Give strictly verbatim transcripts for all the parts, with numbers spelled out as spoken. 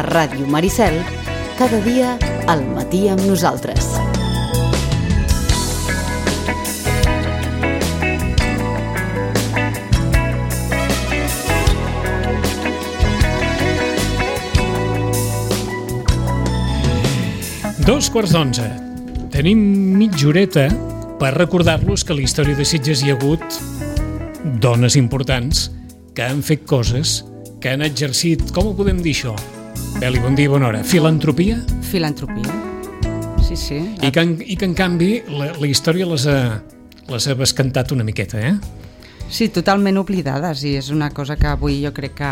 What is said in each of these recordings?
A Ràdio Maricel, cada dia al matí amb nosaltres. Dos quarts d'onze. Tenim mitja horeta per recordar-los que a la història de Sitges hi ha hagut dones importants que han fet coses, que han exercit, com ho podem dir això? Beli, bon dia i bona hora. Filantropia? Filantropia, sí, sí. I que, en, i que en canvi, la, la història les ha, les ha bescantat una miqueta, eh? Sí, totalment oblidades, i és una cosa que avui jo crec que,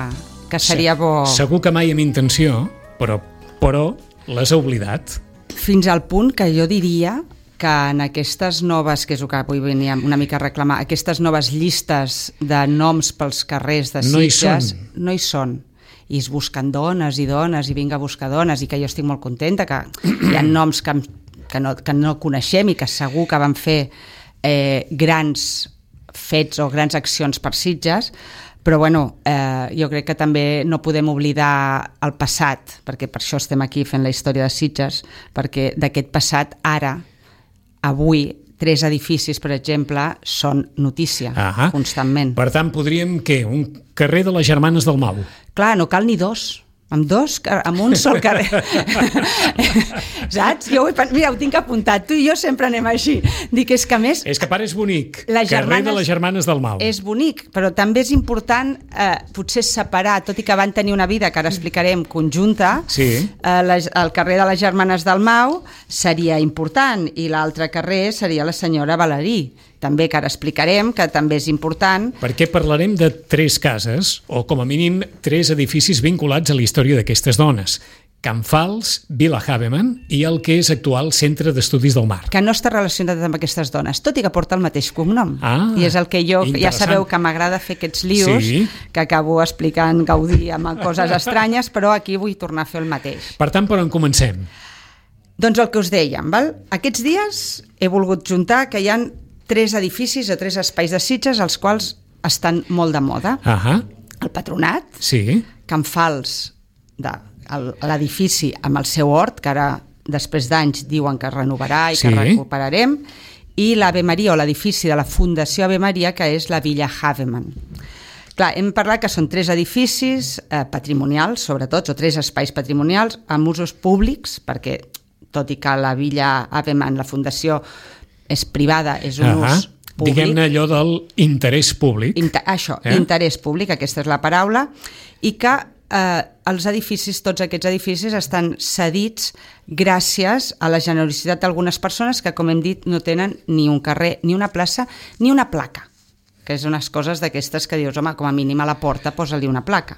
que seria bo... Segur que mai amb intenció, però, però les ha oblidat. Fins al punt que jo diria que en aquestes noves, que és el que avui veníem una mica a reclamar, aquestes noves llistes de noms pels carrers de Sitges, no hi són. No hi són. I es busquen dones i dones i vinga a buscar dones, i que jo estic molt contenta, que hi ha noms que, que, no, que no coneixem i que segur que van fer eh, grans fets o grans accions per Sitges, però bueno, eh, jo crec que també no podem oblidar el passat, perquè per això estem aquí fent la història de Sitges, perquè d'aquest passat ara, avui, tres edificis, per exemple, són notícia, Ahà. constantment. Per tant, podríem, què? Un carrer de les Germanes del Mau. Clar, no cal ni dos. Amb dos, amb un sol carrer. Saps? Jo ho, he, mira, ho tinc apuntat. Tu i jo sempre anem així. Dic, és que a més... És que pare és bonic. Les carrer germanes, de les Germanes del Mau. És bonic, però també és important eh, potser separar, tot i que van tenir una vida, que ara explicarem, conjunta, sí. eh, les, el carrer de les Germanes del Mau seria important, i l'altre carrer seria la senyora Valerí, també, que ara explicarem, que també és important. Perquè parlarem de tres cases, o com a mínim tres edificis vinculats a la història d'aquestes dones. Can Fals, Vila Havemann i el que és actual Centre d'Estudis del Mar. Que no està relacionat amb aquestes dones, tot i que porta el mateix cognom. Ah, I és el que jo, ja sabeu que m'agrada fer aquests lios, sí. que acabo explicant Gaudí amb coses estranyes, però aquí vull tornar a fer el mateix. Per tant, per on comencem? Doncs el que us dèiem, val? Aquests dies he volgut juntar que hi ha tres edificis o tres espais de Sitges els quals estan molt de moda. Ahà. El Patronat, sí. Can Fals, de, el, l'edifici amb el seu hort, que ara després d'anys diuen que es renovarà i sí. que recuperarem, i l'Ave Maria, o l'edifici de la Fundació Ave Maria, que és la Villa Havemann. Clar, hem parlat que són tres edificis eh, patrimonials, sobretot, o tres espais patrimonials amb usos públics, perquè tot i que la Villa Havemann, la Fundació, és privada, és un Ahà. ús públic. Diguem-ne allò del interès públic. Inter, això, eh? interès públic, aquesta és la paraula, i que eh, els edificis, tots aquests edificis, estan cedits gràcies a la generositat d'algunes persones que, com hem dit, no tenen ni un carrer, ni una plaça, ni una placa, que és unes coses d'aquestes que dius, home, com a mínim a la porta posa-li una placa.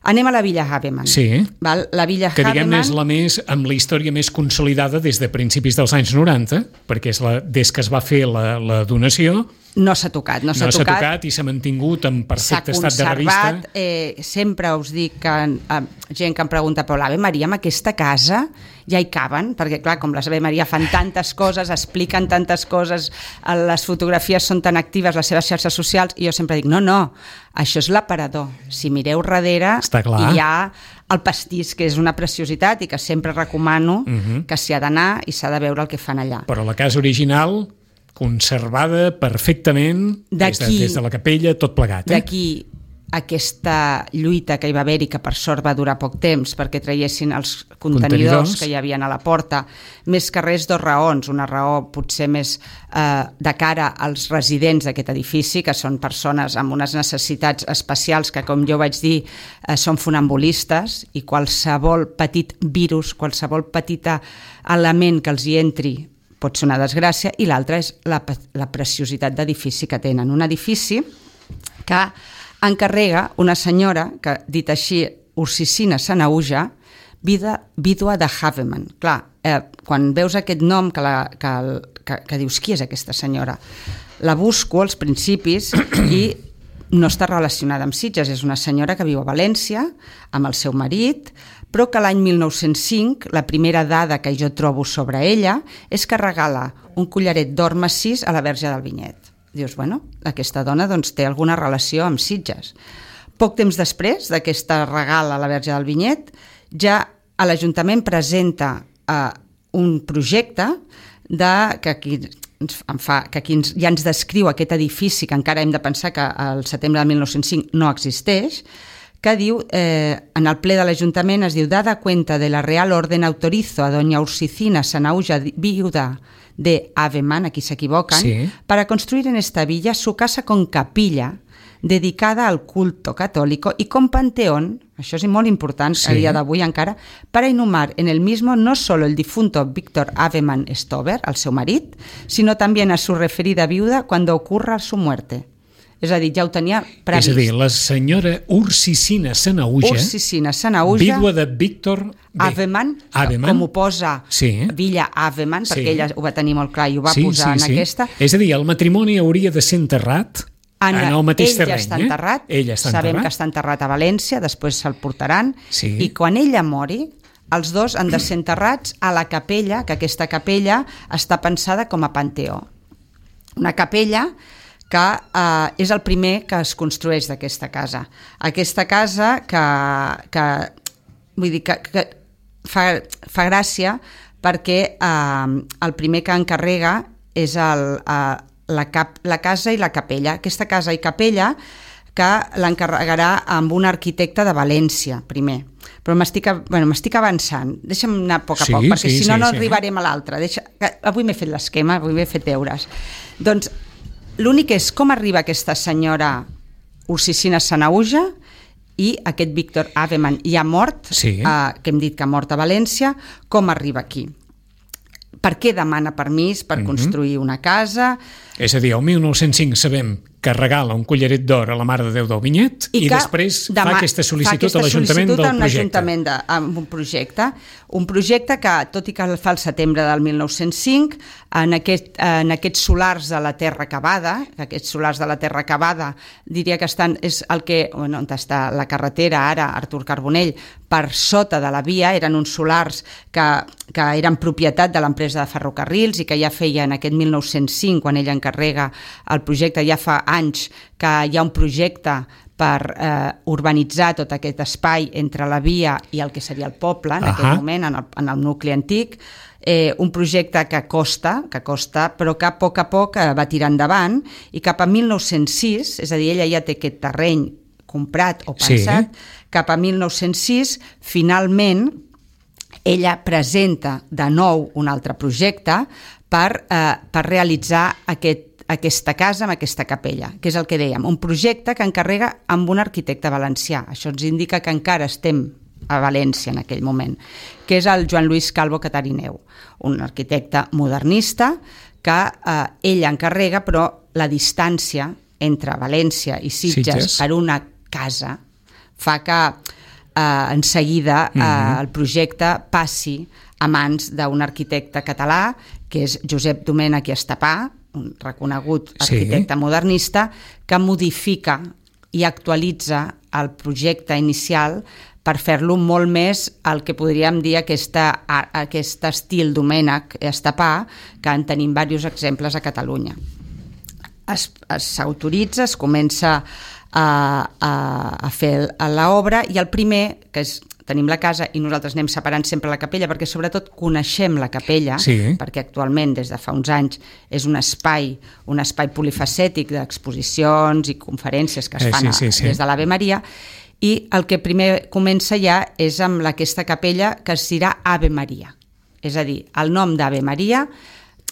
Anem a la Villa Havemann. Sí, Val? La Villa que diguem-ne Havemann... és la més, amb la història més consolidada des de principis dels anys noranta, perquè és la, des que es va fer la, la donació... No s'ha tocat, no s'ha no tocat. s'ha tocat i s'ha mantingut en perfecte estat de revista. S'ha conservat, eh, sempre us dic que eh, gent que em pregunta, però l'Ave Maria amb aquesta casa ja hi caben, perquè clar, com les Ave Maria fan tantes coses, expliquen tantes coses, les fotografies són tan actives, les seves xarxes socials, i jo sempre dic, no, no, això és l'aparador. Si mireu darrere, hi ha el pastís, que és una preciositat i que sempre recomano uh-huh. que s'hi ha d'anar i s'ha de veure el que fan allà. Però la casa original... conservada perfectament des de, des de la capella, tot plegat. Eh? D'aquí aquesta lluita que hi va haver i que per sort va durar poc temps perquè traiessin els contenidors, contenidors. que hi havia a la porta, més que res dos raons, una raó potser més eh, de cara als residents d'aquest edifici, que són persones amb unes necessitats especials que, com jo vaig dir, eh, són funambulistes, i qualsevol petit virus, qualsevol petit element que els hi entri pot ser una desgràcia, i l'altra és la, la preciositat d'edifici que tenen. Un edifici que encarrega una senyora que, dit així, Ursicina Sanauja, vida, vídua de Havemann. Clar, eh, quan veus aquest nom que, la, que, que, que dius, qui és aquesta senyora? La busco als principis i no està relacionada amb Sitges, és una senyora que viu a València amb el seu marit, però que l'any mil nou-cents cinc, la primera dada que jo trobo sobre ella és que regala un collaret d'or massís a la Verge del Vinyet. Dius, bueno, aquesta dona doncs, té alguna relació amb Sitges. Poc temps després d'aquesta regal a la Verge del Vinyet, ja l'Ajuntament presenta eh, un projecte de, que aquí, ens, em fa, que aquí ens, ja ens descriu aquest edifici que encara hem de pensar que al setembre de mil nou-cents cinc no existeix, que diu, eh, en el ple de l'Ajuntament es diu, dada cuenta de la Real Orden autorizo a doña Ursicina Sanahuja, viuda de Aveman, aquí s'equivoquen, sí. para construir en esta villa su casa con capilla dedicada al culto católico y con panteón, això és molt important sí. a dia d'avui encara, para inhumar en el mismo no solo el difunto Víctor Aveman Stover, el seu marit, sino también a su referida viuda cuando ocurra su muerte. És a dir, ja ho tenia previst. És a dir, la senyora Ursicina Sanahuja, Ursicina Sanahuja, vídua de Víctor Aveman, Aveman, com ho posa sí. Villa Aveman, sí. perquè ella ho va tenir molt clar i ho va sí, posar sí, en sí. aquesta. És a dir, el matrimoni hauria de ser enterrat en, en el mateix ell terreny. Ja està enterrat, eh? Ell està sabem enterrat. que està enterrat a València, després se'l portaran, sí. i quan ella mori, els dos han de ser enterrats a la capella, que aquesta capella està pensada com a panteó. Una capella que eh, és el primer que es construeix d'aquesta casa. Aquesta casa que, que, vull dir, que, que fa, fa gràcia perquè eh, el primer que encarrega és el, eh, la, cap, la casa i la capella. Aquesta casa i capella que l'encarregarà amb un arquitecte de València, primer. Però m'estic bueno, m'estic avançant. Deixa'm anar a poc a sí, poc, perquè sí, si no sí, no sí. arribarem a l'altre. Deixa... Avui m'he fet l'esquema, avui m'he fet deures. Doncs l'únic és com arriba aquesta senyora Ursicina Sanahuja i aquest Víctor Aveman ja mort, sí. eh, que hem dit que ha mort a València, com arriba aquí? Per què demana permís per mm-hmm. construir una casa? És a dir, el mil nou-cents cinc sabem que regala un collaret d'or a la Mare de Déu del Vinyet i, i després fa aquesta sol·licitud fa aquesta a l'Ajuntament del projecte. Ajuntament de, amb un projecte. Un projecte que, tot i que el fa el setembre del mil nou-cents cinc, en, aquest, en aquests solars de la Terra Cavada, aquests solars de la Terra Cavada, diria que estan, és el que, bueno, on està la carretera ara, Artur Carbonell, per sota de la via, eren uns solars que, que eren propietat de l'empresa de ferrocarrils i que ja feia en aquest mil nou-cents cinc, quan ella encarrega el projecte, ja fa anys que hi ha un projecte per eh, urbanitzar tot aquest espai entre la via i el que seria el poble, en uh-huh. aquest moment, en el, en el nucli antic, eh, un projecte que costa, que costa, però que a poc a poc eh, va tirar endavant, i cap a mil nou-cents sis, és a dir, ella ja té aquest terreny comprat o pensat, sí. cap a mil nou-cents sis, finalment, ella presenta de nou un altre projecte per, eh, per realitzar aquest aquesta casa amb aquesta capella, que és el que dèiem, un projecte que encarrega amb un arquitecte valencià. Això ens indica que encara estem a València en aquell moment, que és el Joan Lluís Calvo Catarineu, un arquitecte modernista que eh, ell encarrega, però la distància entre València i Sitges, Sitges. per una casa fa que eh, en seguida eh, mm-hmm. el projecte passi a mans d'un arquitecte català, que és Josep Domènech i Estapà, un reconegut arquitecte sí. modernista, que modifica i actualitza el projecte inicial per fer-lo molt més el que podríem dir aquesta, aquest estil Domènech Estapà, que en tenim diversos exemples a Catalunya. S'autoritza, es, es comença a, a, a fer l'obra, i el primer, que és tenim la casa i nosaltres anem separant sempre la capella perquè sobretot coneixem la capella, sí. perquè actualment des de fa uns anys és un espai, un espai polifacètic d'exposicions i conferències que es fan eh, sí, sí, sí. des de l'Ave Maria, i el que primer comença ja és amb aquesta capella que es dirà Ave Maria. És a dir, el nom d'Ave Maria,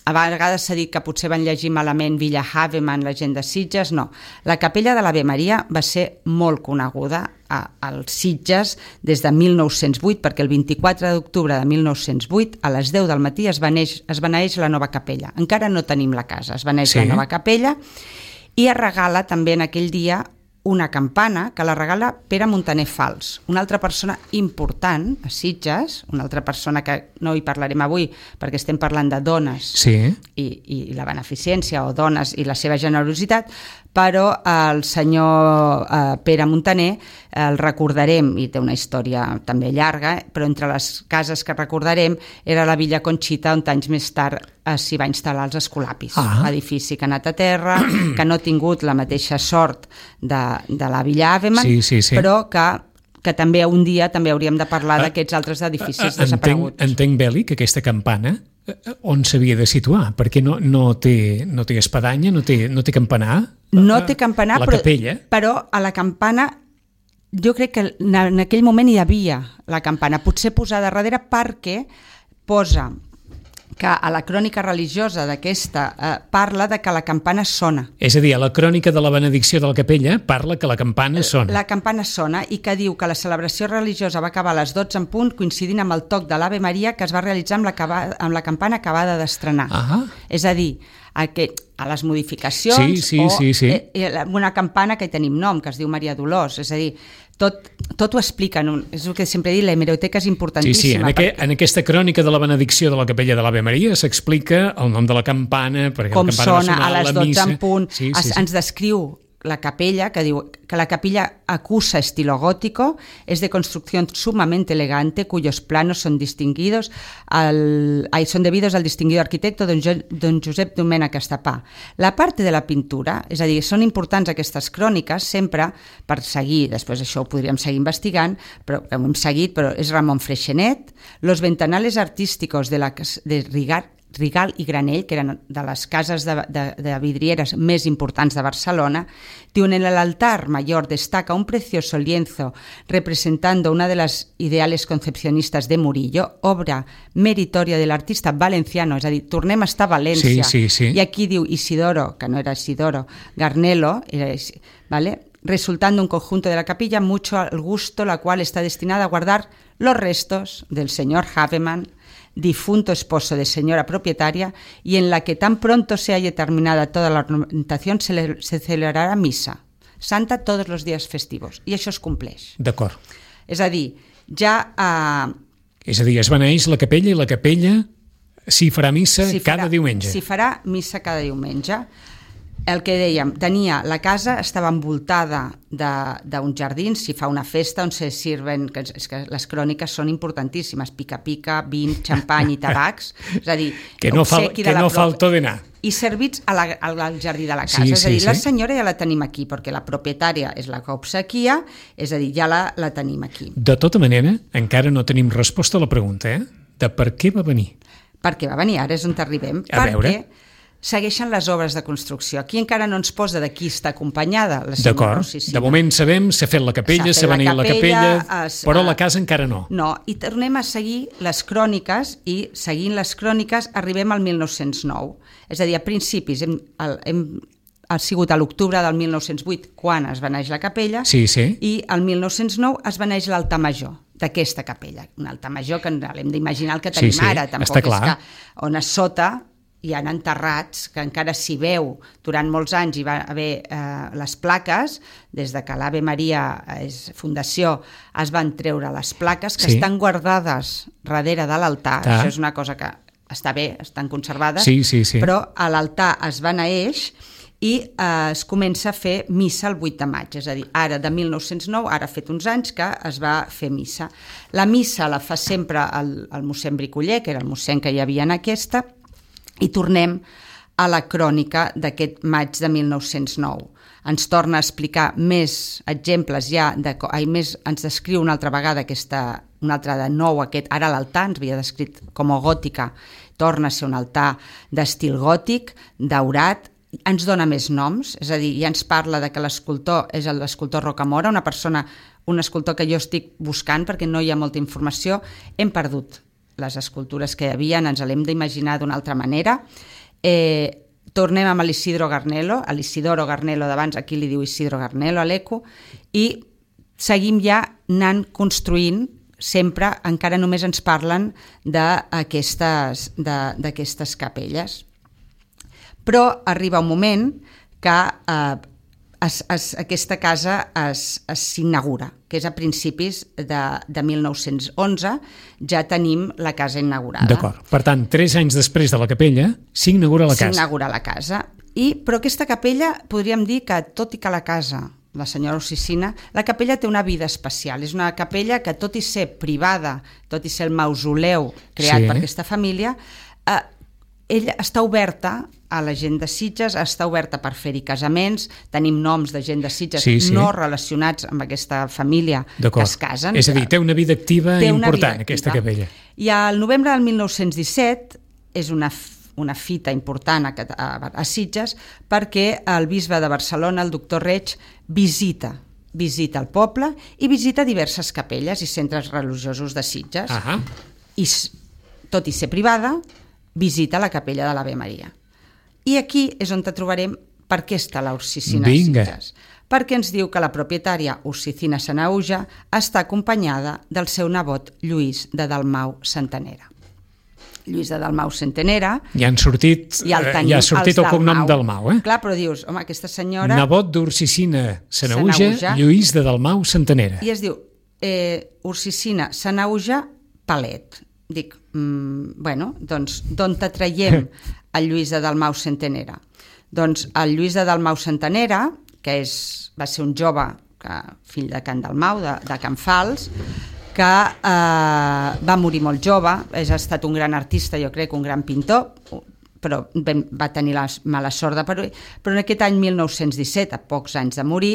a vegades s'ha dit que potser van llegir malament Villa Haveman, la gent de Sitges, no. La capella de l'Ave Maria va ser molt coneguda als Sitges des de mil nou-cents vuit, perquè el vint-i-quatre d'octubre de mil nou-cents vuit, a les deu del matí, es beneix, es beneix la nova capella. Encara no tenim la casa, es beneix sí. la nova capella, i es regala també en aquell dia una campana que la regala Pere Montaner Fals, una altra persona important a Sitges, una altra persona que no hi parlarem avui perquè estem parlant de dones sí. i, i la beneficència, o dones i la seva generositat, però el senyor eh, Pere Montaner el recordarem, i té una història també llarga, però entre les cases que recordarem era la Villa Conxita, on anys més tard eh, s'hi va instal·lar els Escolapis, ah. edifici que ha anat a terra, que no ha tingut la mateixa sort de, de la Villa Aveman, sí, sí, sí. però que que també un dia també hauríem de parlar d'aquests altres edificis desapareguts. Entenc, entenc Beli, que aquesta campana on s'havia de situar? Perquè no, no, té, no té espadanya, no té, no té campanar? No té campanar, la però, capella. però a la campana jo crec que en aquell moment hi havia la campana, potser posada darrere perquè posa que a la crònica religiosa d'aquesta eh, parla de que la campana sona. És a dir, a la crònica de la benedicció de la capella parla que la campana sona. La campana sona i que diu que la celebració religiosa va acabar a les dotze en punt, coincidint amb el toc de l'Ave Maria que es va realitzar amb la, amb la campana acabada d'estrenar. Ah. És a dir, a, que, a les modificacions sí, sí, o sí, sí. Eh, una campana que hi tenim nom, que es diu Maria Dolors. És a dir, tot, tot ho explica. No? És el que sempre he dit, la hemeroteca és importantíssima. Sí, sí, en, aqu perquè... en aquesta crònica de la benedicció de la capella de l'Ave Maria s'explica el nom de la campana, perquè com la campana sona va sonar a les la dotze missa. en punt. Sí, sí, es, sí. Ens descriu la capella, que diu que la capilla acusa estilo gótico, es de construcción sumamente elegante, cuyos planos son distinguidos al, ay, son debidos al distinguido arquitecto don, jo, don Josep Domènech Estapà. La parte de la pintura, és a dir, són importants aquestes cròniques sempre per seguir, després això ho podríem seguir investigant, però ho hem seguit, però és Ramon Freixenet, los ventanales artísticos de, la, de Rigar, Rigal i Granell, que eren de les cases de, de, de vidrieres més importants de Barcelona, diu, en el altar mayor destaca un precioso lienzo representando una de las ideales concepcionistas de Murillo, obra meritoria del artista valenciano, és a dir, tornem a estar a València, sí, sí, sí. i aquí diu Isidoro, que no era Isidoro, Garnelo, era, ¿vale? Resultando un conjunto de la capilla mucho al gusto, la cual está destinada a guardar los restos del señor Havemann, difunto esposo de señora propietaria, y en la que tan pronto se haya terminada toda la ornamentación se, le, se celebrarà missa santa tots els dies festius, i això es compleix. D'acord. És a dir, ja... Eh, és a dir, es beneeix la capella i la capella s'hi farà missa si farà, cada diumenge. S'hi farà missa cada diumenge. El que dèiem, tenia, la casa estava envoltada d'uns jardins, s'hi fa una festa on se sirven, que, és que les cròniques són importantíssimes, pica-pica, vin, xampany i tabacs, és a dir, que no, fal, que no falto de anar. I servits a la, al jardí de la casa, sí, és a dir, sí, la sí. senyora ja la tenim aquí, perquè la propietària és la que obsequia, és a dir, ja la, la tenim aquí. De tota manera, encara no tenim resposta a la pregunta, eh? De per què va venir. Per què va venir, ara és on t'arribem. A perquè veure... segueixen les obres de construcció. Aquí encara no ens posa de qui està acompanyada la senyora D'acord, Ossicina. de moment sabem, s'ha fet la capella, s'ha beneït la capella, es, però la casa encara no. No, i tornem a seguir les cròniques, i seguint les cròniques arribem al mil nou-cents nou. És a dir, a principis, hem, hem, ha sigut a l'octubre del mil nou-cents vuit quan es beneix la capella, sí, sí. i al mil nou-cents nou es beneix l'altar major d'aquesta capella. Un altar major que l'hem d'imaginar el que tenim sí, sí, ara, tampoc està clar. És que on a sota hi ha enterrats, que encara s'hi veu durant molts anys, hi va haver eh, les plaques, des de que l'Ave Maria és fundació, es van treure les plaques que sí. estan guardades darrere de l'altar, ah. Això és una cosa que està bé, estan conservades, sí, sí, sí. Però a l'altar es beneeix i eh, es comença a fer missa el vuit de maig, és a dir, ara de mil nou-cents nou, ara ha fet uns anys que es va fer missa. La missa la fa sempre el, el mossèn Bricoller, que era el mossèn que hi havia en aquesta, i tornem a la crònica d'aquest maig de mil nou-cents nou. Ens torna a explicar més exemples ja, de, ai, més, ens descriu una altra vegada aquesta, una altra de nou, aquest, ara l'altar ens havia descrit com a gòtica, torna a ser un altar d'estil gòtic, daurat, ens dona més noms, és a dir, ja ens parla de que l'escultor és l'escultor Rocamora, una persona, un escultor que jo estic buscant perquè no hi ha molta informació, hem perdut les escultures que hi havia, ens l'hem d'imaginar d'una altra manera. Eh, tornem amb l'Isidro Garnelo, a l'Isidoro Garnelo d'abans, aquí li diu Isidro Garnelo a l'Eco, i seguim ja anant construint, sempre encara només ens parlen d'aquestes d'aquestes capelles. Però arriba un moment que eh, Es, es, aquesta casa s'inaugura, que és a principis de, de mil nou-cents onze, ja tenim la casa inaugurada. D'acord. Per tant, tres anys després de la capella, s'inaugura la casa. S'inaugura la casa. I, però aquesta capella, podríem dir que, tot i que la casa, la senyora Ossicina, la capella té una vida especial. És una capella que, tot i ser privada, tot i ser el mausoleu creat sí. per aquesta família, eh, ella està oberta a la gent de Sitges, està oberta per fer-hi casaments, tenim noms de gent de Sitges sí, sí. no relacionats amb aquesta família que es casen. És a dir, té una vida activa important, vida activa. Aquesta capella. I al novembre del mil nou-cents disset és una, una fita important a, a, a Sitges perquè el bisbe de Barcelona, el doctor Reig, visita visita el poble i visita diverses capelles i centres religiosos de Sitges. Uh-huh. I, tot i ser privada, visita la capella de l'Ave Maria. I aquí és on te trobarem per què està la Ursicina Sitges. Perquè ens diu que la propietària Ursicina Sanaüja està acompanyada del seu nebot Lluís de Dalmau Centenera. Lluís de Dalmau Centenera... Ja han sortit, ja tenim, ja ha sortit el cognom Dalmau, eh? Clar, però dius, home, aquesta senyora... Nebot d'Ursicina Sanaüja, Lluís de Dalmau Centenera. I es diu eh, Ursicina Sanaüja Palet. Dic, mm, bueno, doncs, d'on te traiem el Lluís de Dalmau Centenera? Doncs el Lluís de Dalmau Centenera, que és, va ser un jove, que, fill de Can Dalmau, de, de Can Fals, que eh, va morir molt jove, és, ha estat un gran artista, jo crec, un gran pintor, però ben, va tenir la mala sort de parir, però en aquest any mil nou-cents disset, a pocs anys de morir,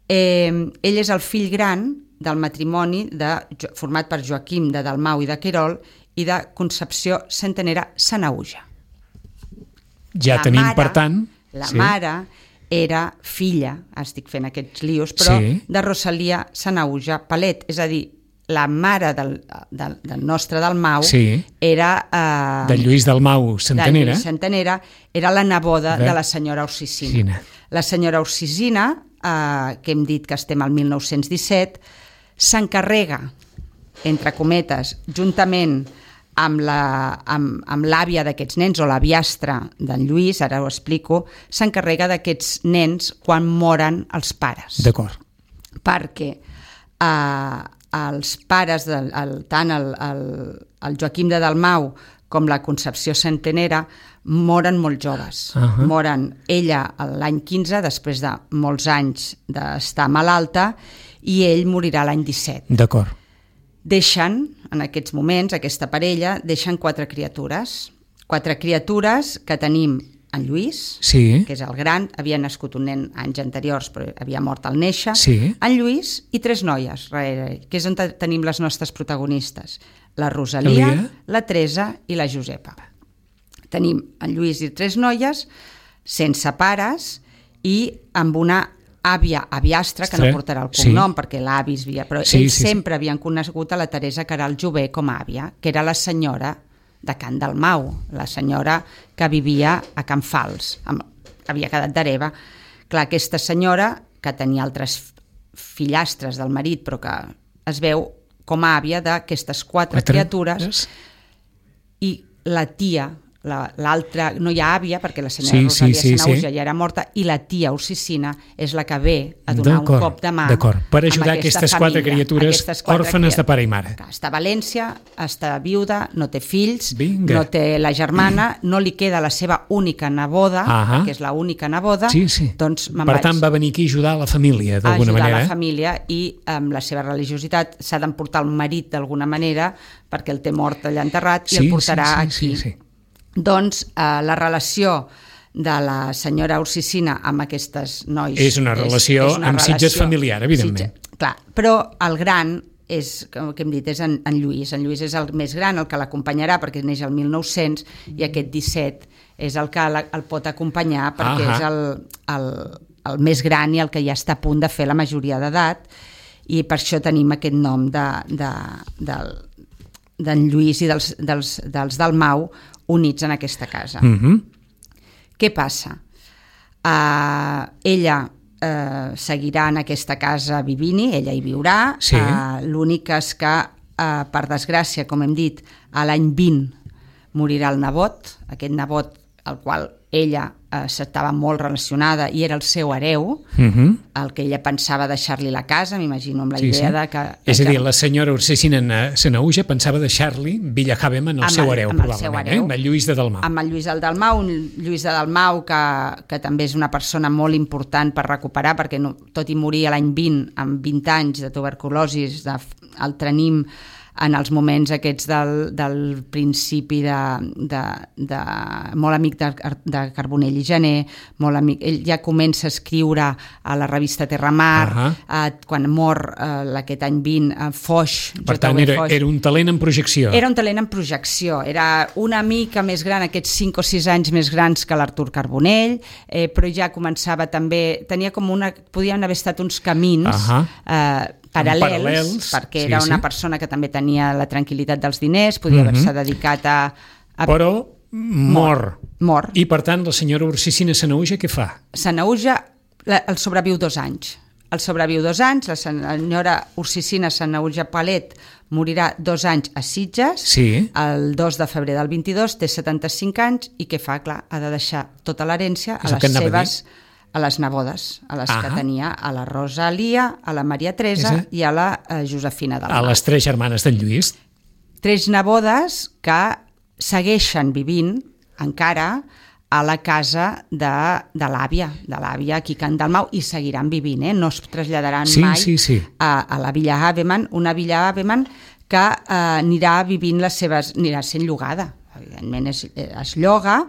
eh, ell és el fill gran del matrimoni de, format per Joaquim de Dalmau i de Querol i de Concepció Centenera Sanaüja. Ja la tenim, mare, per tant... La sí. mare era filla, estic fent aquests lios, però sí. de Rosalia Sanaüja Palet, és a dir, la mare del, del, del nostre Dalmau sí. era... Eh, de Lluís Dalmau Centenera. De Lluís Centenera, era la neboda de, de la senyora Ursicina. Sina. La senyora Ursicina, eh, que hem dit que estem al mil nou-cents disset, s'encarrega, entre cometes, juntament amb la, amb, amb l'àvia d'aquests nens, o l'aviastra d'en Lluís, ara ho explico, s'encarrega d'aquests nens quan moren els pares. D'acord. Perquè eh, els pares, del, el, tant el, el, el Joaquim de Dalmau com la Concepció Centenera, moren molt joves. Uh-huh. Moren ella l'any quinze, després de molts anys d'estar malalta, i ell morirà l'any disset. D'acord. Deixen, en aquests moments, aquesta parella, deixen quatre criatures. Quatre criatures que tenim en Lluís, sí. que és el gran, havia nascut un nen anys anteriors, però havia mort al néixer, sí. en Lluís i tres noies, que és on tenim les nostres protagonistes, la Rosalia, Elia. La Teresa i la Josepa. Tenim en Lluís i tres noies, sense pares, i amb una àvia, aviastra, que no portarà el cognom, sí. perquè l'avi es via, però sí, ells sí, sempre sí. havien conegut a la Teresa Queralt Jové com a àvia, que era la senyora de Can Dalmau, la senyora que vivia a Can Fals, amb, havia quedat d'hereva. Clar, aquesta senyora, que tenia altres fillastres del marit, però que es veu com a àvia d'aquestes quatre, quatre criatures, yes. i la tia, l'altra, la, no hi ha àvia, perquè la senyora sí, Rosalia sí, sí, Sanaüja sí. ja era morta, i la tia Ursicina és la que ve a donar un cop de mà per ajudar aquestes família, quatre criatures aquestes quatre òrfanes de pare i mare. Està a València, està viuda, no té fills, Vinga. no té la germana, no li queda la seva única neboda, uh-huh. que és l'única neboda, sí, sí. doncs me'n per vaig. tant va venir aquí a ajudar la família d'alguna ajudar manera. la família, i amb la seva religiositat s'ha d'emportar el marit d'alguna manera, perquè el té mort allà enterrat, sí, i el portarà sí, sí, aquí. Sí, sí. Doncs eh, la relació de la senyora Ursicina amb aquestes nois... És una relació és, és una amb relació, Sitges familiar, evidentment. Sitges, clar, però el gran és, com hem dit, és en, en Lluís. En Lluís és el més gran, el que l'acompanyarà, perquè neix el mil nou-cents, i aquest disset és el que la, el pot acompanyar, perquè uh-huh. és el, el, el més gran i el que ja està a punt de fer la majoria d'edat, i per això tenim aquest nom de, de, del, d'en Lluís i dels, dels, dels Dalmau units en aquesta casa. Uh-huh. Què passa? Uh, ella uh, seguirà en aquesta casa vivint-hi, ella hi viurà, sí. uh, l'únic és que, uh, per desgràcia, com hem dit, a l'any vint morirà el nebot, aquest nebot al qual ella eh, s'estava molt relacionada i era el seu hereu, uh-huh. el que ella pensava deixar-li la casa, m'imagino, amb la sí, idea sí. de que... És a dir, la senyora Ursicina Sanaüja pensava deixar-li Villa Havem en el, el seu hereu, amb probablement, el seu hereu, eh? amb el Lluís de Dalmau. Amb el Lluís de Dalmau, un Lluís de Dalmau que, que també és una persona molt important per recuperar, perquè no, tot i morir l'any vint, amb vint anys de tuberculosi, de, el tenim en els moments aquests del, del principi de, de, de molt amic de, de Carbonell i Gené, molt amic, ell ja comença a escriure a la revista Terramar, uh-huh. eh, quan mor eh, aquest any vint, eh, Foix. Per tant, era, Foix. Era un talent en projecció. Era un talent en projecció, era una mica més gran, aquests cinc o sis anys més grans que l'Artur Carbonell, eh, però ja començava també, tenia com una, podien haver estat uns camins uh-huh. eh, paral·lels, paral·lels, perquè era sí, una sí. persona que també tenia la tranquil·litat dels diners, podia uh-huh. haver-se dedicat a, a... Però mor. Mor. I per tant la senyora Ursicina Sanahuja què fa? Sanahuja el sobreviu dos anys. El sobreviu dos anys, la senyora Ursicina Sanahuja Palet morirà dos anys a Sitges, sí. el dos de febrer del vint-i-dos, té setanta-cinc anys, i què fa? Clar, ha de deixar tota l'herència a les seves... a les nebodes, a les ah. que tenia a la Rosalia, a la Maria Teresa Esa. i a la uh, Josefina del Mar. A les tres germanes d'en Lluís. Tres nebodes que segueixen vivint encara a la casa de, de l'àvia, de l'àvia aquí a Can Dalmau, i seguiran vivint, eh? No es traslladaran sí, mai sí, sí. A, a la Villa Havemann, una Villa Havemann que eh, anirà vivint les seves, anirà sent llogada. Evidentment es, es lloga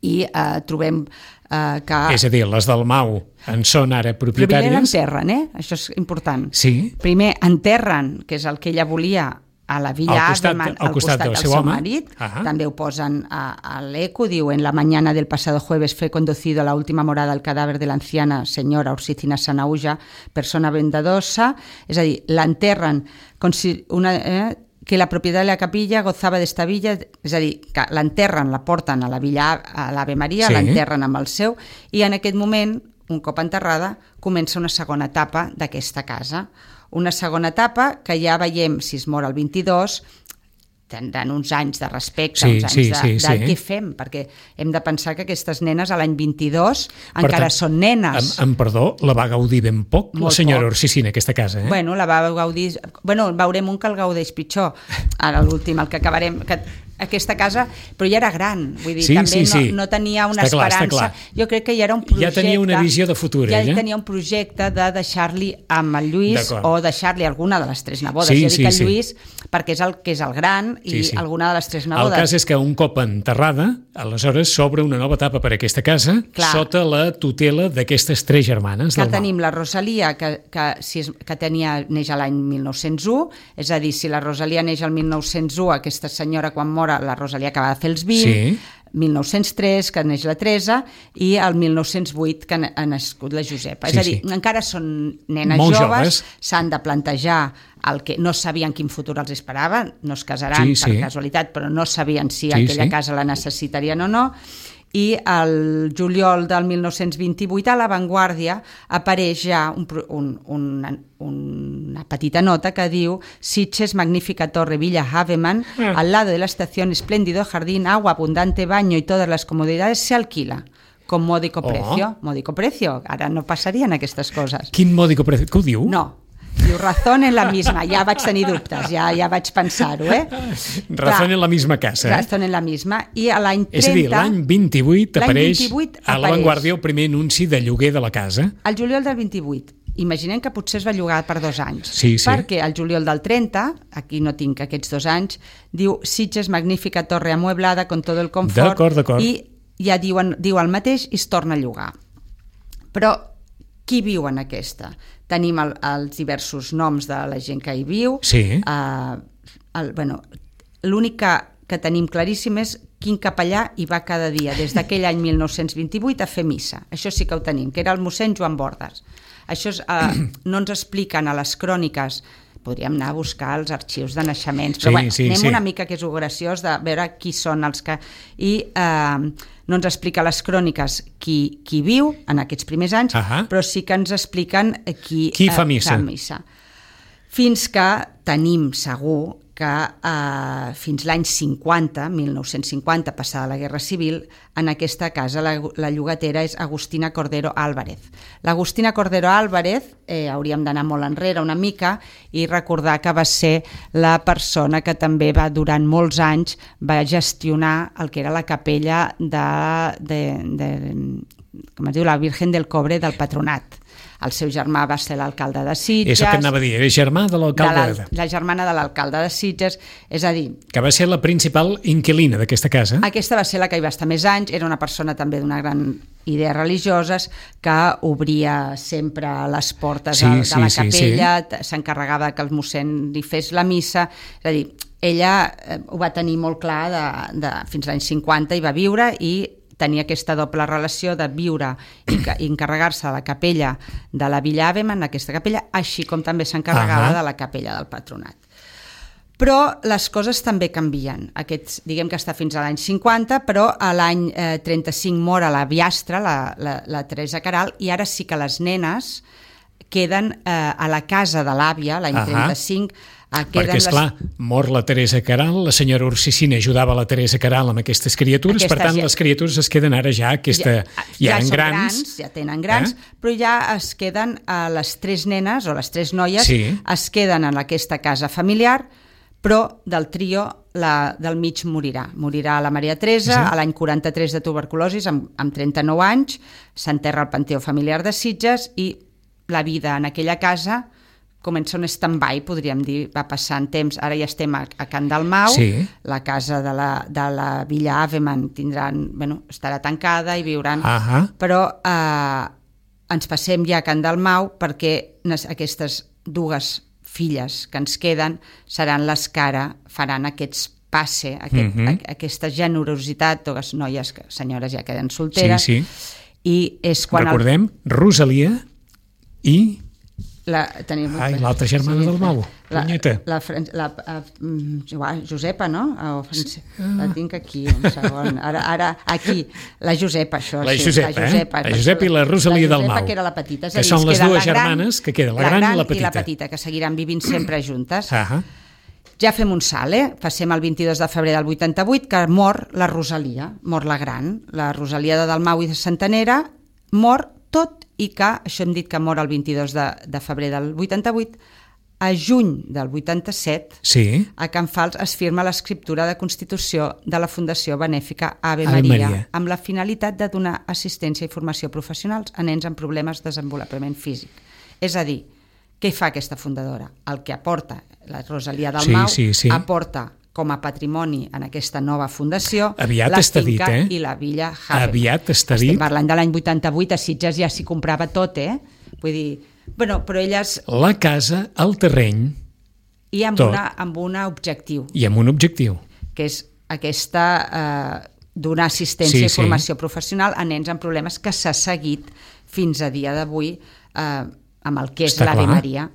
i eh, trobem Uh, que... És a dir, les del Mau en són ara propietàries. Primer enterren, eh? Això és important. Sí. Primer enterren, que és el que ella volia, a la Villa Havemann, al costat, costat del, del seu, seu home. marit. Ah. També ho posen a, a l'eco, diu, en la mañana del pasado jueves fue conducido a la última morada el cadáver de la anciana senyora Ursicina Sanahuja, persona vendadosa, és a dir, l'enterren com si una... Eh, que la propietat de la capilla gozava d'esta villa, és a dir, que l'enterren, la porten a la villa, a l'Ave Maria, sí. l'enterren amb el seu, i en aquest moment, un cop enterrada, comença una segona etapa d'aquesta casa. Una segona etapa que ja veiem, si es mor el vint-i-dos, tindran uns anys de respecte, sí, uns anys sí, de, sí, de sí. què fem, perquè hem de pensar que aquestes nenes a l'any vint-i-dos encara tant, són nenes. Amb, amb perdó, la va gaudir ben poc Molt la senyora poc. Ursicina, aquesta casa, eh? Bueno, la va gaudir... Bueno, veurem un que el gaudeix pitjor, ara l'últim, el que acabarem... Que aquesta casa, però ja era gran, vull dir, sí, també sí, sí. No, no tenia una està esperança. Clar, clar. Jo crec que ja era un projecte... Ja tenia una visió de futur, ja ella. Ja tenia un projecte de deixar-li amb el Lluís o deixar-li alguna de les tres nebodes. Sí, jo dic sí, el sí. Lluís perquè és el que és el gran i sí, sí. alguna de les tres nebodes. El cas és que un cop enterrada, aleshores s'obre una nova etapa per a aquesta casa, clar. Sota la tutela d'aquestes tres germanes. Que tenim la Rosalia, que, que, si és, que tenia, neix a l'any mil nou-cents u, és a dir, si la Rosalia neix al mil nou-cents u, aquesta senyora quan mora, la Rosalia acaba de fer els vint, sí. mil nou-cents tres, que neix la Teresa, i el mil nou-cents vuit, que ha nascut la Josepa. Sí, és a dir, sí. encara són nenes Molt joves, joves, s'han de plantejar el que no sabien quin futur els esperava, no es casaran sí, per sí. casualitat, però no sabien si sí, aquella sí. casa la necessitarien o no, i el juliol del mil nou-cents vint-i-vuit a La Vanguardia apareix ja un, un, una, una petita nota que diu Sitges, magnífica torre Villa Havemann, mm. al lado de la estación, espléndido jardín, agua, abundante baño y todas las comodidades se alquila con módico precio. Oh. Módico precio, ara no passarien aquestes coses. Quin módico precio? Que ho diu? No. Diu, razón en la misma, ja vaig tenir dubtes, ja, ja vaig pensar-ho, eh? Razón en la misma casa, eh? Razón en la misma, i a l'any trenta... És a dir, l'any vint-i-vuit apareix vint-i-vuit a La Vanguardia el primer anunci de lloguer de la casa. El juliol del vint-i-vuit. Imaginem que potser es va llogar per dos anys, sí, sí. perquè el juliol del trenta, aquí no tinc aquests dos anys, diu Sitges, magnífica torre amueblada con todo el confort, d'acord, d'acord. i ja diuen, diu el mateix i es torna a llogar. Però qui viu en aquesta? Tenim el, els diversos noms de la gent que hi viu. Sí. Uh, el, bueno, l'únic que, que tenim claríssim és quin capellà hi va cada dia, des d'aquell any mil nou-cents vint-i-vuit a fer missa. Això sí que ho tenim, que era el mossèn Joan Bordes. Això és, uh, no ens expliquen a les cròniques, podríem anar a buscar els arxius de naixements, però sí, bueno, sí, anem sí. una mica, que és graciós, de veure qui són els que... I eh, no ens explica les cròniques qui, qui viu en aquests primers anys, uh-huh. però sí que ens expliquen qui, qui fa missa. Eh, fa missa. Fins que tenim segur que eh, fins l'any cinquanta, mil nou-cents cinquanta, passada la Guerra Civil, en aquesta casa la, la llogatera és Agustina Cordero Álvarez. L'Agustina Cordero Álvarez, eh, hauríem d'anar molt enrere una mica i recordar que va ser la persona que també va, durant molts anys, va gestionar el que era la capella de, de, de com es diu, la Virgen del Cobre del Patronat. el seu germà va ser l'alcalde de Sitges. És el que anava a dir, era germà de l'alcalde. De la, la germana de l'alcalde de Sitges, és a dir... Que va ser la principal inquilina d'aquesta casa. Aquesta va ser la que hi va estar més anys, era una persona també d'una gran idees religioses, que obria sempre les portes sí, de, de sí, la capella, sí, sí. S'encarregava que el mossèn li fes la missa, és a dir, ella ho va tenir molt clar de, de, fins als anys cinquanta hi va viure i tenia aquesta doble relació de viure i, i encarregar-se de la capella de la Villa Aveman, aquesta capella, així com també s'encarregava uh-huh. de la capella del patronat. Però les coses també canvien. Aquests, diguem que està fins a l'any cinquanta, però a l'any eh, trenta-cinc mor a la viastra, la, la, la Teresa Queralt, i ara sí que les nenes queden eh, a la casa de l'àvia, l'any uh-huh. trenta-cinc, perquè, esclar, les... mor la Teresa Queralt, la senyora Ursicina ajudava la Teresa Queralt amb aquestes criatures, aquestes, per tant, ja... les criatures es queden ara ja, aquesta, ja, ja, ja en grans, grans, ja tenen grans, eh? Però ja es queden a les tres nenes, o les tres noies, sí. es queden en aquesta casa familiar, però del trio, la del mig morirà. Morirà la Maria Teresa, sí. a l'any quaranta-tres de tuberculosi, amb, amb trenta-nou anys, s'enterra al Panteó Familiar de Sitges, i la vida en aquella casa comença un stand-by, podríem dir, va passant temps, ara ja estem a, a Can Dalmau, sí. la casa de la, de la Villa Aveman tindran, bueno, estarà tancada i viuran, uh-huh. però eh, ens passem ja a Can Dalmau perquè aquestes dues filles que ens queden seran les que ara faran aquests passe, aquest, uh-huh. a, aquesta generositat, dues noies, que, senyores ja queden solteres, sí, sí. I és quan... Recordem, el... Rosalia i... La, tenim... Ai, l'altra germana sí, del Mau, la, punyeta. La, la, la, la, Josepa, no? Oh, la tinc aquí, un segon. Ara, ara aquí, la Josepa, això. La sí, Josepa, la Josepa, eh? La Josepa i la Rosalia del Mau. La Josepa, que era la petita. És que dir, són les dues la gran, germanes que queden, la, la gran, gran i la petita. I la petita, que seguiran vivint sempre juntes. Uh-huh. Ja fem un salt, eh? Passem el vint-i-dos de febrer del vuitanta-vuit, que mor la Rosalia, mor la gran. La Rosalia de Dalmau i de Santanera mor tot, i que, això hem dit que mor el vint-i-dos de, de febrer del vuitanta-vuit, a juny del vuitanta-set, sí. a Can Fals es firma l'escriptura de constitució de la Fundació Benèfica Ave, Ave Maria, Maria, amb la finalitat de donar assistència i formació professionals a nens amb problemes de desenvolupament físic. És a dir, què fa aquesta fundadora? El que aporta la Rosalia Dalmau, sí, sí, sí. aporta com a patrimoni en aquesta nova fundació aviat la està finca dit, eh? i la Villa Haven. Aviat està dit. Estem parlant de l'any vuitanta-vuit, a Sitges ja s'hi comprava tot, eh? Vull dir, bueno, però elles... La casa, el terreny, i amb, tot. una, amb un objectiu. I amb un objectiu. Que és aquesta... Eh, donar assistència sí, i formació sí. professional a nens amb problemes, que s'ha seguit fins a dia d'avui eh, amb el que és Està l'Ave clar. Maria.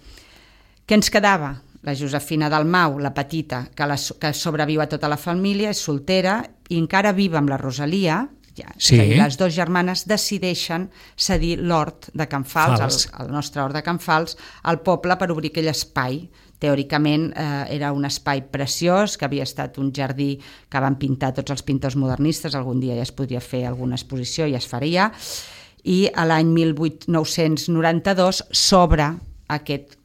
Què ens quedava? La Josefina Dalmau, la petita, que, la, que sobreviu a tota la família, és soltera i encara viva amb la Rosalia. Ja, sí. És a dir, les dues germanes decideixen cedir l'hort de Can Fals, el, el nostre hort de Can Fals, al poble per obrir aquell espai. Teòricament eh, era un espai preciós, que havia estat un jardí que van pintar tots els pintors modernistes, algun dia ja es podria fer alguna exposició i es faria, i a l'any mil nou-cents noranta-dos s'obre aquest,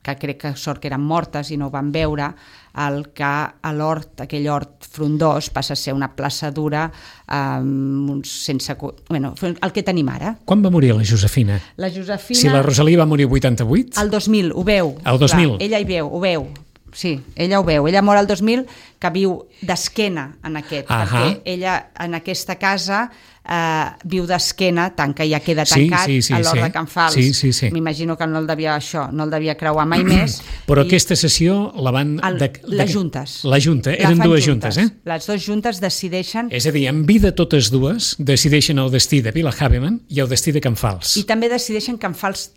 que crec que sort que eren mortes i no ho van veure, el que a l'hort, aquell hort frondós, passa a ser una plaça dura, um, sense, bueno, el que tenim ara. Quan va morir la Josefina? La Josefina... Si la Rosalia va morir vuitanta-vuit? El dos mil, ho veu. El dos mil? Clar, ella hi veu, ho veu. Sí, ella ho veu. Ella mor el dos mil, que viu d'esquena en aquest, uh-huh. perquè ella en aquesta casa eh, viu d'esquena, tant que ja queda tancat sí, sí, sí, a l'hort sí. de Can Fals. Sí, sí, sí. M'imagino que no el devia això, no el devia creuar mai més. Però I aquesta sessió la van... el, de, de, les juntes. La junta, la eren dues juntes. juntes, eh? Les dues juntes decideixen... És a dir, en vida totes dues decideixen el destí de Villa Haveman i el destí de Can Fals. I també decideixen Can Fals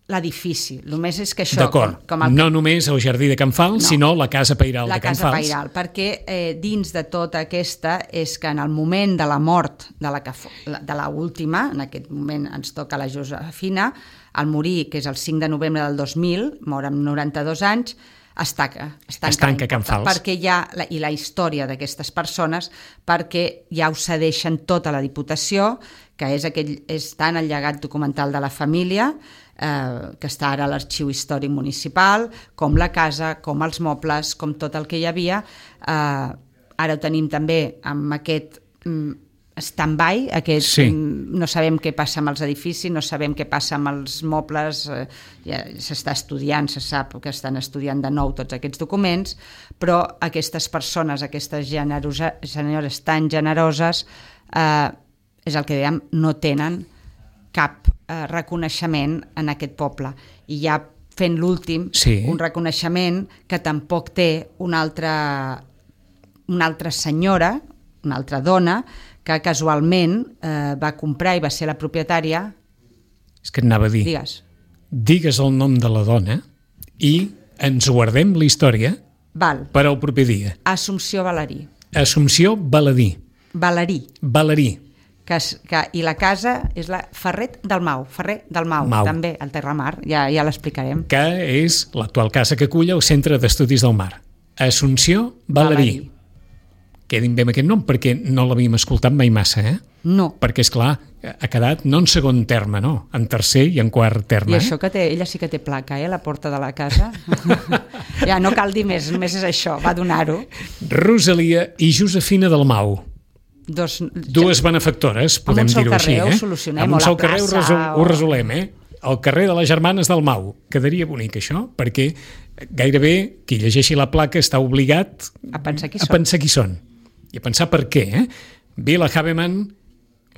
l'edifici. Només és que això... D'acord, com, com el... no només el jardí de Can Fals, no. sinó la casa pairal la de Can Fals. La casa pairal, perquè eh, dins de tota aquesta és que en el moment de la mort de la, de la última, en aquest moment ens toca la Josefina, al morir, que és el cinc de novembre del dos mil, mor amb noranta-dos anys, es tanca, es tanca, es tanca Can Fals. Perquè hi ha, la, i la història d'aquestes persones, perquè ja ho cedeixen tota la Diputació, que és, aquell, és tant el llegat documental de la família, eh, que està ara a l'Arxiu Històric Municipal, com la casa, com els mobles, com tot el que hi havia. Eh, ara ho tenim també amb aquest... stand-by, aquest, Sí. no sabem què passa amb els edificis, no sabem què passa amb els mobles, eh, ja s'està estudiant, se sap que estan estudiant de nou tots aquests documents, però aquestes persones, aquestes generosa, senyores tan generoses, eh, és el que dèiem, no tenen cap eh, reconeixement en aquest poble. I ja fent l'últim, Sí. un reconeixement que tampoc té una altra, una altra senyora, una altra dona, que casualment eh, va comprar i va ser la propietària. És que et anava a dir, Digues. digues el nom de la dona i ens guardem la història Val. per al proper dia. Assumpció Valerí. Assumpció Baladí. Valerí. Valerí. Que, es- que, I la casa és la Ferret del Mau. Ferrer del Mau, Mau. també, al Terramar. Ja, ja l'explicarem. Que és l'actual casa que acull el Centre d'Estudis del Mar. Assumpció Valerí. Valerí. Quedin bé amb aquest nom perquè no l'havíem escoltat mai massa, eh? No. Perquè, és clar, ha quedat no en segon terme, no, en tercer i en quart terme. I això que té, ella sí que té placa, eh, la porta de la casa. Ja, no cal dir més, només és això, va donar-ho. Rosalia i Josefina Dalmau. Dos, Dues benefactores, podem un sol dir-ho així, carrer ho eh? solucionem, Amb o un la sol carrer ho, plaça, resol, o- ho resolem, eh? El carrer de les Germanes del Mau. Quedaria bonic, això, perquè gairebé qui llegeixi la placa està obligat A pensar qui a són. pensar qui són. I a pensar per què, eh? Vila Haveman,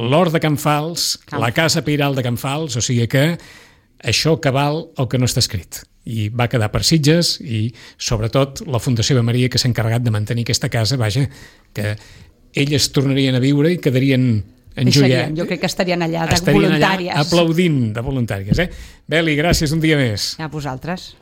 l'Hort de Can Fals, Can la Casa Peiral de Can Fals, o sigui que això que val el que no està escrit. I va quedar per Sitges i, sobretot, la Fundació de Maria, que s'ha encarregat de mantenir aquesta casa, vaja, que elles tornarien a viure i quedarien enjoiats. Deixarien, jo crec que estarien allà de Estarien voluntàries. allà aplaudint de voluntàries. Eh? Beli, gràcies un dia més. A vosaltres.